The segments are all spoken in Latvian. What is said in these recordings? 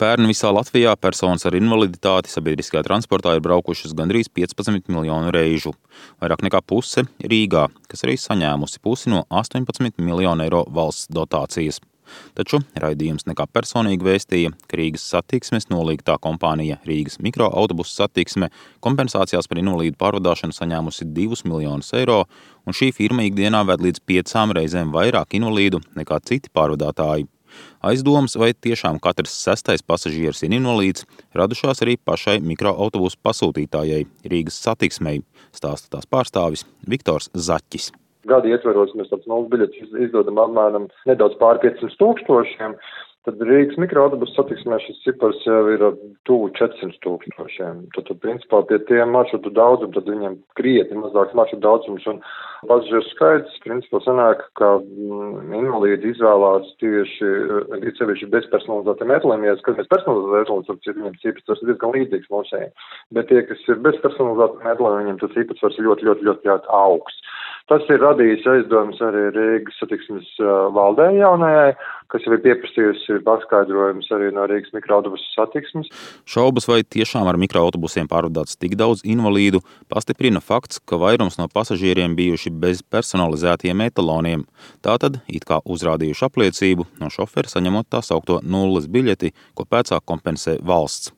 Pērn visā Latvijā personas ar invaliditāti sabiedriskajā transportā ir braukušas gandrīz 15 miljonu reižu. Vairāk nekā puse Rīgā, kas arī saņēmusi pusi no 18 miljonu eiro valsts dotācijas. Taču raidījums nekā personīgi vēstīja, ka Rīgas satiksmes nolīgtā kompānija Rīgas mikroautobusu satiksme kompensācijās par invalīdu pārvadāšanu saņēmusi 2 miljonus eiro, un šī firma ikdienā ved līdz 5 reizēm vairāk invalīdu nekā citi pārvadātāji. Aizdomas, vai tiešām katrs 6. pasažieris ir invalīds, radušās arī pašai mikroautobusu pasūtītājai Rīgas satiksmei, stāsta tās pārstāvis Viktors Zaķis. Gada ietveros mēs tāds nulles biļetes izdodam apmēram nedaudz pār 500 000, tad Rīgas mikroautobusu satiksmē šis cipars jau ir tuvu 400 000. Tad principā pie tiem maršrutu daudzum, tad viņiem krietni mazāks maršrutu daudzums un pasažieru skaits, principā sanāk, ka invalīdi izvēlās tieši bezpersonalizētiem metliem. Ja skatāmies personalizētiem metliem, tad viņiem tas īpatsvars ir diezgan līdzīgs mūsējiem. Bet tie, kas ir bezpersonalizētiem metliem, viņiem tas īpatsvars ir ļoti augsts. Tas ir radījis aizdomas arī Rīgas satiksmes valdē jaunajai, kas jau ir pieprasījusi paskaidrojums arī no Rīgas mikroautobusu satiksmes. Šaubas, vai tiešām ar mikroautobusiem pārvadāts tik daudz invalīdu, pastiprina fakts, ka vairums no pasažieriem bijuši bez personalizētiem etaloniem. Tātad, it kā uzrādījuši apliecību, no šofera saņemot tā saukto nulles biļeti, ko pēcāk kompensē valsts.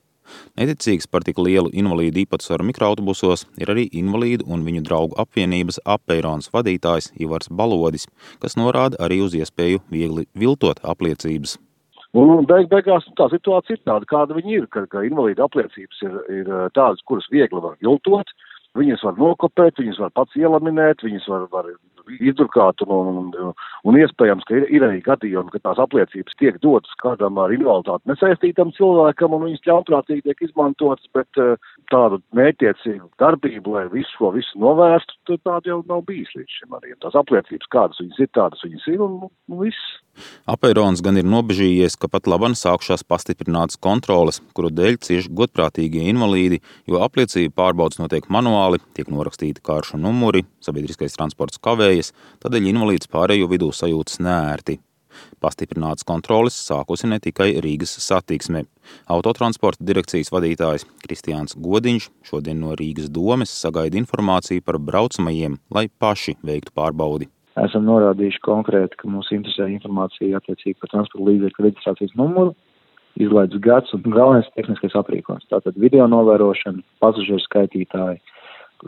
Neticīgs par tik lielu invalīdu īpatsvaru mikroautobusos ir arī invalīdu un viņu draugu apvienības Apeirons vadītājs Ivars Balodis, kas norāda arī uz iespēju viegli viltot apliecības. Beigās tā situācija ir tāda, kāda viņi ir, ka invalīdu apliecības ir tādas, kuras viegli var viltot, viņas var nokopēt, viņas var pats ielaminēt, viņas var izdrukāt un iespējams, ka ir arī gadījumi, ka tās apliecības tiek dotas kādam ar invaliditāti nesaistītam cilvēkam un viņas ļaunprātīgi tiek izmantotas, bet tādu mērķtiecīgu darbību, lai visu novērstu, tad tāda jau nav bijis līdz šim arī. Tās apliecības, kādas viņas ir, tādas viņas ir un viss. Apeirons gan ir nobežījies, ka pat laban sākšās pastiprinātas kontroles, kuru dēļ cieši godprātīgie invalīdi, jo apliecību pārbaudas notiek manuāli, tiek norakstīti karšu numuri, sabiedriskais transports kavējas, tādēļ invalīds pārējo vidū sajūtas neērti. Pastiprinātas kontroles sākusi ne tikai Rīgas satiksme. Autotransporta direkcijas vadītājs Kristiāns Godiņš šodien no Rīgas domes sagaida informāciju par braucamajiem, lai paši veiktu pārbaudi. Esam norādījuši konkrēti, ka mūs interesē informācija attiecīgi par transporta līdzekļu reģistrācijas numuru, izlaides gads un galvenais tehniskais aprīkojums. Tātad video novērošana, pasažieru skaitītāji,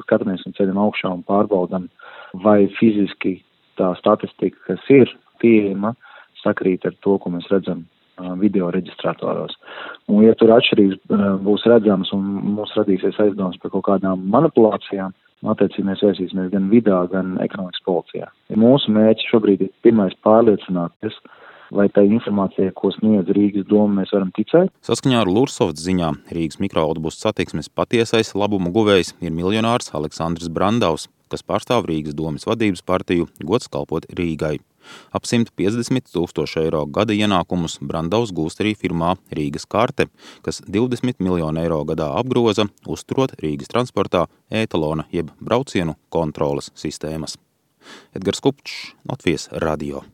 skatāmies un ceļam augšā un pārbaudam, vai fiziski tā statistika, kas ir pieejama, sakrīt ar to, ko mēs redzam video reģistratoros. Un, ja tur atšķirības būs redzamas un mums radīsies aizdomas par kaut kādām manipulācijām, attiecīgi mēs vērsīsimies gan vidā, gan ekonomikas policijā. Mūsu mērķis šobrīd ir pirmais pārliecināties, vai tā informācija, ko sniedz Rīgas doma, mēs varam ticēt. Saskaņā ar Lursofts ziņām Rīgas mikroautobusu satiksmes patiesais labumu guvējs ir miljonārs Aleksandrs Brandavs, kas pārstāv Rīgas domes vadības partiju Gods kalpot Rīgai. Ap 150 000 eiro gada ienākumus Brandavs gūst arī firmā Rīgas karte, kas 20 miljonu eiro gadā apgroza, uzturot Rīgas transportā etalona jeb braucienu kontroles sistēmas. Edgars Kupčs, Latvijas radio.